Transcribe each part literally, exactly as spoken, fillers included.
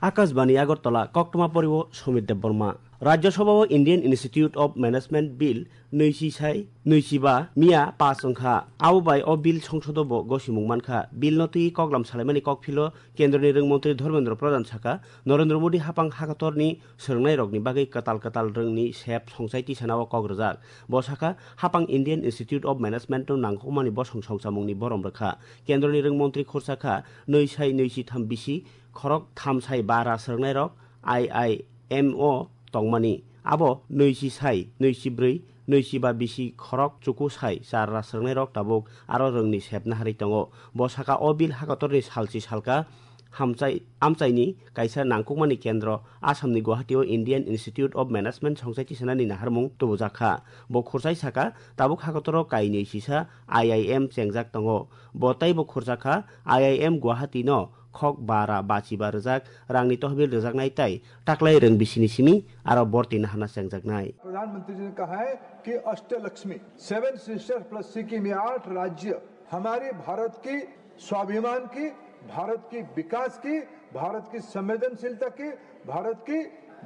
Akashbani Agartala, koktwma poriwo Sumit Debbarma. Rajya Sabha o Indian Institute of Management Bill nui si sai nui si ba miya pass wngkha. Abo bai o bill songsodo bo gosimung mankha. Bill no twi koklam salaimani kokphilo Kendroni Rwng Montri Dharmendra Pradhan saka, Narendra Modi hapang hakatorni swrwngnairokni bagwi kwtal kwtal rwngni sep songchai tisanao kok rwjak. Bo saka, hapang Indian Institute of Management no nangkukmani bosong songchamungni borom rwkha. Kendroni Rwng Montri khursa kha, nui sai nui si tham bisi khorok tham sai bara swrwngnairok I I M o tongmani. Abo nui si sai nui si bwrwi, nui si ba bisi khorok chuku sai char ra swrwngnairok tabuk aro rwngni sep naharwi tongo. Bo saka, o bill hakatorni salchi salka hamchai, amchaini kaisa nangkukmani kendro Assamni Guwahati o Indian Institute of Management songchai tisanani naharmung tubujak kha. Bo khursai saka, tabuk hakatoro kainwi sisa I I M chengjak tongo. Bo teibo khursa kha, I I M Guwahati no khok bara bachiba rwjak rangni tohbil rwjaknai tei taklai rwng bisini simi aro borti nahana chengjaknai. प्रधानमंत्री जी ने कहा है कि Ashtalakshmi, seven sisters plus Sikkim, ये आठ राज्य हमारे भारत की स्वाभिमान की, भारत की विकास की, भारत की संवेदनशीलता की, भारत की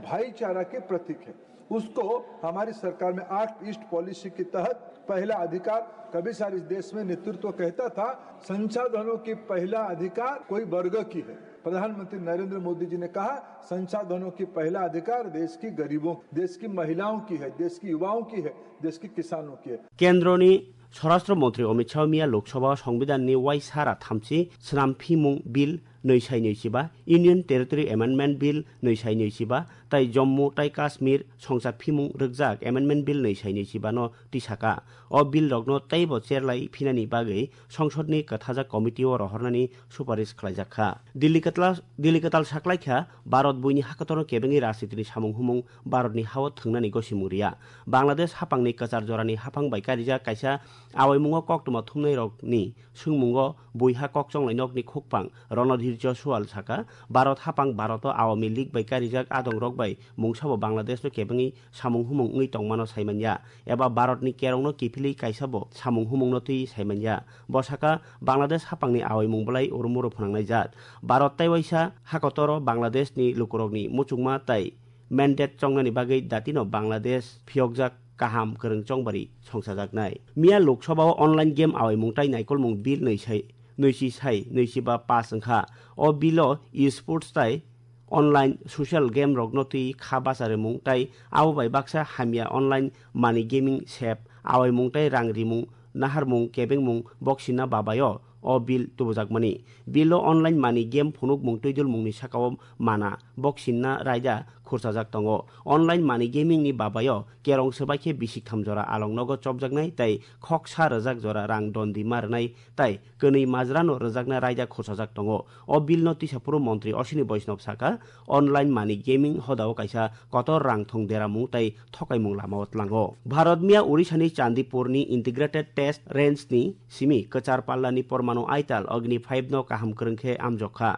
भाईचारा के प्रतीक है। उसको हमारी सरकार में एक्ट ईस्ट पॉलिसी के तहत पहला अधिकार, कभी सार इस देश में नेतृत्व कहता था, संसाधनों की पहला अधिकार कोई वर्ग की है। प्रधानमंत्री नरेंद्र मोदी जी ने कहा, संसाधनों की पहला अधिकार देश की गरीबों, देश की महिलाओं की है, देश की युवाओं की है, देश के किसानों की है। Kendroni Swarashtra Montri Amit Shah miya Lok Sabha o Songbidanni waisa ra thamchi swnam phimung bill nui sai nui chiba, Union Territory Amendment Bill nui sai nui chiba, tai Jammu tai Kashmir songcha phimung rwkjak Amendment Bill nui sai nui chiba no tisaka. O bill rokno teibo cherlai phinani bagwi songsodni kwthajak committee o rohornani suparish khlaijak kha. Delhi kwtal, Delhi kwtal saklaikha, Bharat buini hakatoro kebengwi rajnitini samung humung Bharatni hao thwngnani gosimung riya. Bangladesh hapangni kwchar jorani haphang bai karijak kaisa awaimungo koktwma thumnairokni swngmungo buiha kokchonglai nokni khukpang Ronodhir Josual saka, Bharat hapang Bharoto Awami League bai karijak adongrok bai mungsabo Bangladeshno kebengwi samung humung wngwi tongmano saimanya, eba Bharatni kerongno kiphilwi kaisabo samung humungno twi saimanya. Bo saka, Bangladesh hapangni awaimung belai urumuru phwnangnaijak. Bharat tei waisa hakotoro Bangladeshni lukurokni muchungma tei mandate chongnani bagwi datino Bangladesh phiyokjak kaham kwrwng chongbari songchajaknai. Miya Lok Sabha o online game awaimung tai naikolmung bill nui sai, nui si sai, nui si ba pass wngkha. O bill o e-sports tai online social game rokno twi kha bacharimung tai abo bai baksa hamya online money gaming sep awaimung tai rang rimung naharmung kebengmung boksinna babaio o bill tubujakmani. Bill o online money game phunukmung twidulmungni sakao mana boksinna raida khursajak tongo. Online money gaming ni babaio kerong swbaikhe bisik tham jora along nogo chopjaknai tei khoksa rwjak jora rang dondi ma rwnai tai kwnwi majrano rwjakna raida khursajak tongo. O bill no tisa phuru montri Ashwini Vaishnaw saka, online money gaming hodao kaisa kotor rang thong deramung tei thokaimung lamao tlango. Bharat miya Odisha ni Chandipur ni Integrated Test Range ni simi kwchar palla ni Pormanu Aital Agni five no kaham kwrwng khe amjok kha.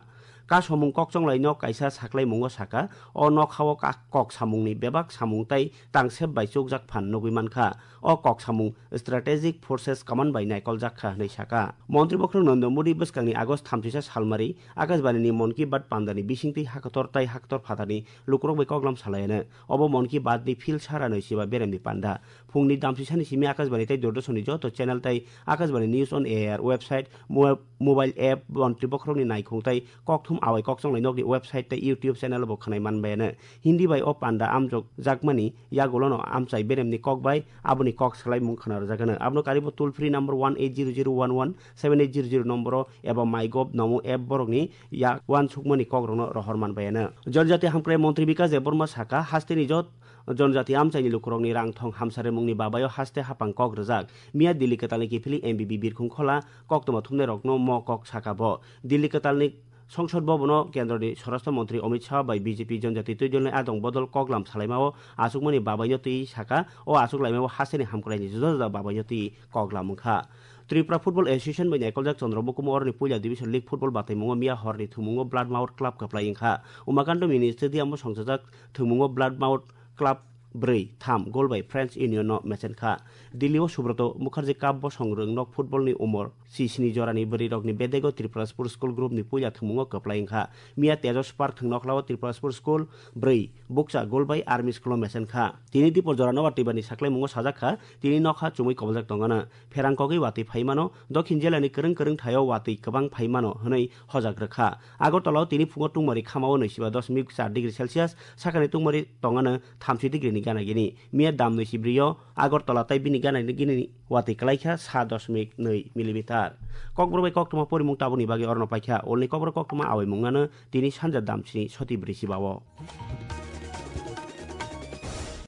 Kasomung kokchonglai no kaisa saklaimungo saka, o nokhao ka-, kok samungni bebak samung tei tangsep bai chukjak phan nugwi mankha. O kok samung Strategic Forces Command bai naikoljak kha hwnwi saka. Montri bokhorok Narendra Modi bwskangni August thamsisa salmari Akashbani ni Mann Ki Baat pandani bisingtwi hakotor tai hakotor phatarni lukurok bai koklam salaiano. Obo Mann Ki Baat ni phil sara nui siba beremni panda. Phungni damsisani simi Akashbani tei Doordarshan ni joto channel tai Akashbani News on Air website, mo-, mobile app, montri bokhorokni naikhung tai kokthum awai kokchonglai nokni website tei YouTube channel bo khwnai manbaiano. Hindi bai o panda amjok jakmani yagulono amchai beremni kok bai aboni kok salaimung khwnarwjak hwno. Abono karibo toll free number one eight zero zero one one seven eight zero zero nomboro eba MyGov Namo app borokni yak uansukmani kokrokno rohor manbaiano. Jonjati hamkrai montri Bikas Debbarma saka, hasteni jot jonjati amchaini lukurokni rang thong hamsa remungni babaio haste hapang kok rwjak. Miya Delhi kwtalni kiphilwi M B B Birkhung Khola koktwma thumnairokno mo kok saka bo. Delhi kwtalni Songsod Bhabono Kendroni Swarashtra Montri Amit Shah bai B J P Jonjati Twidulni adong bodol koklam salaimao achukmani babaino twi saka, o achuk laimao hasteni hamkraini juda juda babaino twi koklam wngkha. Tripura Football Association bai naikoljak Chandra Mukumu oroni puila division league football bataimungo miya horni thwngmungo Blood Mouth Club kwplai wngkha. Umakanto Mini Stadium o songchajak thwngmungo Blood Mouth Club bwrwi tham goal bai French Union no mechen kha. Delhi o Subroto Mukherjee Cup bosong rwng nok football ni umor sisini jorani bwrwi rokni bedego Tripura Sports School group ni puila thwngmungo kwplai wngkha. Miya Tejas Park thwng nokhlao Tripura Sports School bwrwi bukcha goal bai Army School o mechen kha. Tini dipor jora nobar twibani saklaimungo sajak kha, tini nokha chumui koboljak tongano. Pherang kogwi watwi phaimano, Dokhin jilani kwrwng kwrwng thaio watwi kwbang phaimano hwnwi hojak rwkha. Agartala o tini phungo tungmari khamao nwi siba dosmik char degree Celsius, sakani tungmari tongano thamsi degree ni gana gini. Miya dam nwi si brio Agartala tai bini gana gini watwi kwlaikha sa dosmik nwi millimeter. Kokborok bai koktwma porimung tabukni bagwi orono paikha. Ulni kokborok koktwma awai mungano tini sanja dam sini soti bwrwi siba o.